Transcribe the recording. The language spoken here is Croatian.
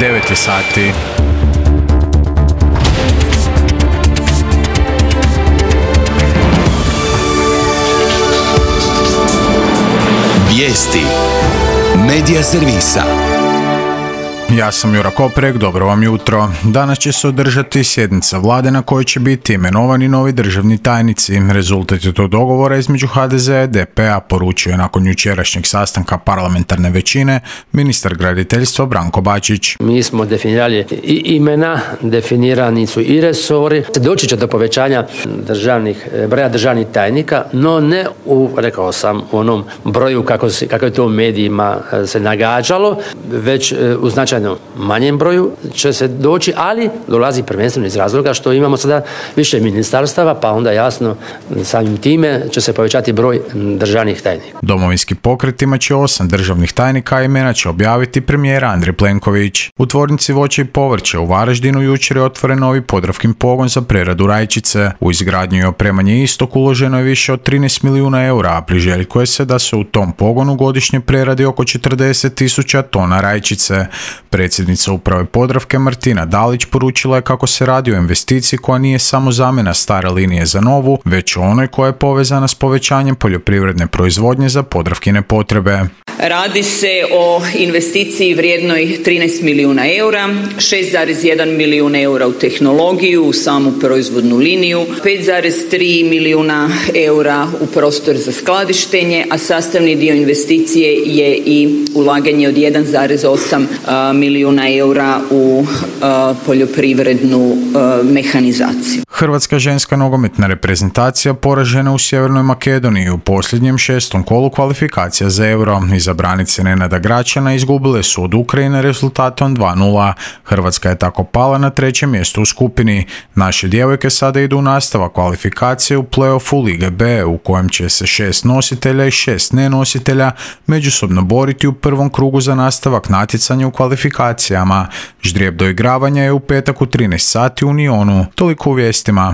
9 je sati. Vijesti Medija servisa. Ja sam Jura Koprek, dobro vam jutro. Danas će se održati sjednica vlade na kojoj će biti imenovani novi državni tajnici. Rezultat je tog dogovora između HDZ i DP-a, poručio je nakon jučerašnjeg sastanka parlamentarne većine ministar graditeljstva Branko Bačić. Mi smo definirali i imena, definirani su i resori. Doći će do povećanja broja državnih tajnika, no ne rekao sam, u onom broju kako je to u medijima se nagađalo, već u značajno manjem broju će se doći, ali dolazi prvenstveno iz razloga što imamo sada više ministarstava, pa onda jasno samim time će se povećati broj državnih tajnika. Domovinski pokret imat će 8 državnih tajnika, a imena će objaviti premijer Andrej Plenković. U tvornici voća i povrća u Varaždinu jučer je otvoren novi Podravkin pogon za preradu rajčice. U izgradnju i opremanje istog uloženo je više od 13 milijuna eura, a priželjkuje se da se u tom pogonu godišnje preradi oko 40.000 tona rajčice. Predsjednica uprave Podravke Martina Dalić poručila je kako se radi o investiciji koja nije samo zamjena stare linije za novu, već onoj koja je povezana s povećanjem poljoprivredne proizvodnje za Podravkine potrebe. Radi se o investiciji vrijednoj 13 milijuna eura, 6,1 milijun eura u tehnologiju, u samu proizvodnu liniju, 5,3 milijuna eura u prostor za skladištenje, a sastavni dio investicije je i ulaganje od 1,8 milijuna eura u poljoprivrednu mehanizaciju. Hrvatska ženska nogometna reprezentacija poražena u Sjevernoj Makedoniji u posljednjem 6. kolu kvalifikacija za Euro. Izabranice Nenada Gračana izgubile su od Ukrajine rezultatom 2:0. Hrvatska je tako pala na 3. mjesto u skupini. Naše djevojke sada idu u nastavak kvalifikacije u play-offu Lige B, u kojem će se 6 nositelja i 6 nenositelja međusobno boriti u prvom krugu za nastavak natjecanja u kvalifikacijama. Ždrijeb doigravanja je u petak u 13 sati u Nionu. Toliko u vijestima.